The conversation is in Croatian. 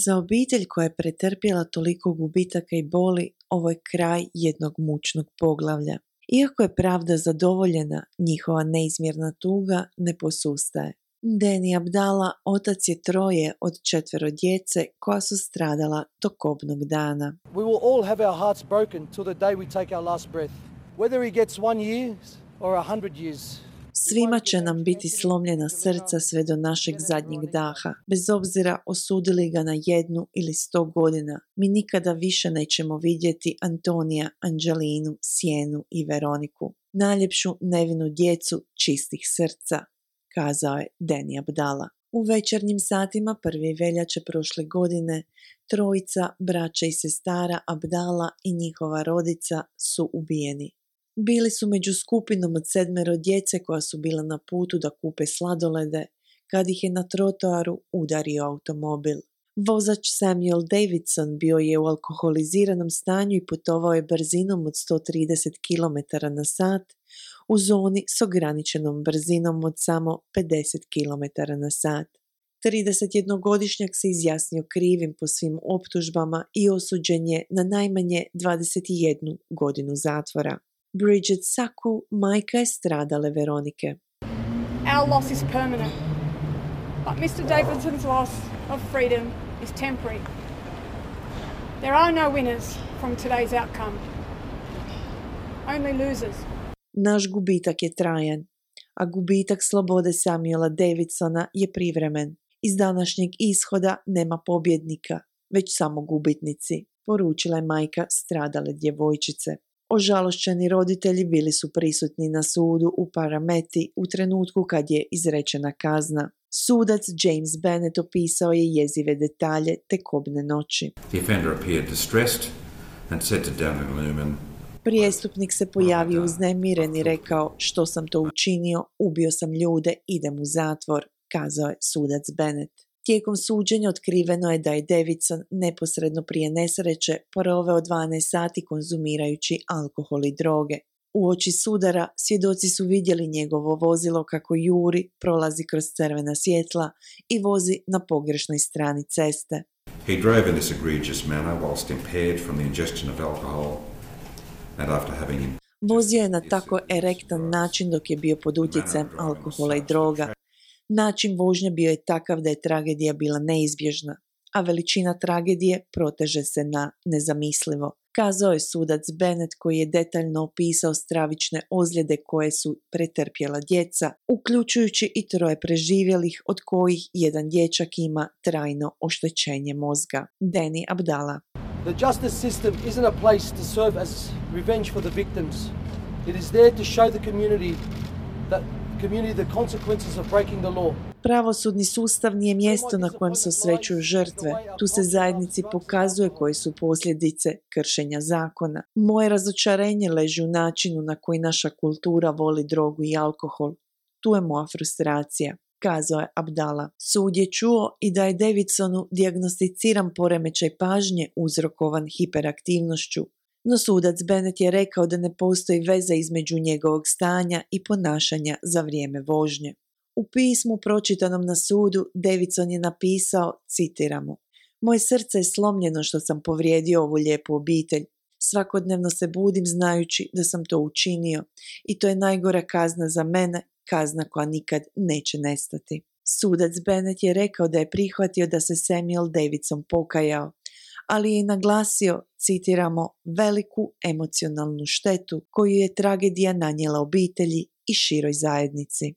Za obitelj koja je pretrpjela toliko gubitaka i boli, ovo je kraj jednog mučnog poglavlja. Iako je pravda zadovoljena, njihova neizmjerna tuga ne posustaje. Danny Abdallah otac je 3 od 4 djece koja su stradala tog kobnog dana. We will all have our hearts broken till the day we take our last breath. Whether he gets 1 year or 100 years. Svima će nam biti slomljena srca sve do našeg zadnjeg daha, bez obzira osudili ga na 1 ili 100 godina. Mi nikada više nećemo vidjeti Antonija, Angelinu, Sienu i Veroniku, najljepšu nevinu djecu čistih srca, kazao je Danny Abdallah. U večernjim satima 1. veljače prošle godine 3 braće i sestara Abdallah i njihova rodica su ubijeni. Bili su među skupinom od 7 djece koja su bila na putu da kupe sladolede kad ih je na trotoaru udario automobil. Vozač Samuel Davidson bio je u alkoholiziranom stanju i putovao je brzinom od 130 km/h u zoni s ograničenom brzinom od samo 50 km/h. 31-godišnjak se izjasnio krivim po svim optužbama i osuđen je na najmanje 21 godinu zatvora. Bridget Saku, majka je stradale Veronike. Our loss is permanent, but Mr. Davidson's loss of freedom is temporary. There are no winners from today's outcome, only losers. Naš gubitak je trajan, a gubitak slobode Samuela Davidsona je privremen. Iz današnjeg ishoda nema pobjednika, već samo gubitnici, poručila je majka stradale djevojčice. Ožalošćeni roditelji bili su prisutni na sudu u Parameti u trenutku kad je izrečena kazna. Sudac James Bennett opisao je jezive detalje te kobne noći. Prijestupnik se pojavio uznemiren i rekao: što sam to učinio, ubio sam ljude, idem u zatvor, kazao je sudac Bennett. Tijekom suđenja otkriveno je da je Davidson neposredno prije nesreće proveo 12 sati konzumirajući alkohol i droge. Uoči sudara svjedoci su vidjeli njegovo vozilo kako juri, prolazi kroz crvena svjetla i vozi na pogrešnoj strani ceste. He drove in this egregious manner whilst impaired from the ingestion of alcohol and after having Vozio je na tako erektan način dok je bio pod utjecajem alkohola i droga. Način vožnje bio je takav da je tragedija bila neizbježna, a veličina tragedije proteže se na nezamislivo, kazao je sudac Bennett koji je detaljno opisao stravične ozljede koje su pretrpjela djeca, uključujući i 3 preživjelih, od kojih jedan dječak ima trajno oštećenje mozga. Danny Abdallah. The justice system isn't a place to serve as revenge for the victims. It is there to show the community the consequences of breaking the law. Pravosudni sustav nije mjesto na kojem se osvećuju žrtve. Tu se zajednici pokazuje koje su posljedice kršenja zakona. Moje razočarenje leži u načinu na koji naša kultura voli drogu i alkohol. Tu je moja frustracija, kazao je Abdallah. Sud je čuo i da je Davidsonu dijagnosticiran poremećaj pažnje uzrokovan hiperaktivnošću. No sudac Bennett je rekao da ne postoji veza između njegovog stanja i ponašanja za vrijeme vožnje. U pismu pročitanom na sudu Davidson je napisao, citiramo: moje srce je slomljeno što sam povrijedio ovu lijepu obitelj. Svakodnevno se budim znajući da sam to učinio i to je najgora kazna za mene, kazna koja nikad neće nestati. Sudac Bennett je rekao da je prihvatio da se Samuel Davidson pokajao, ali je naglasio, citiramo, veliku emocionalnu štetu koju je tragedija nanijela obitelji i široj zajednici.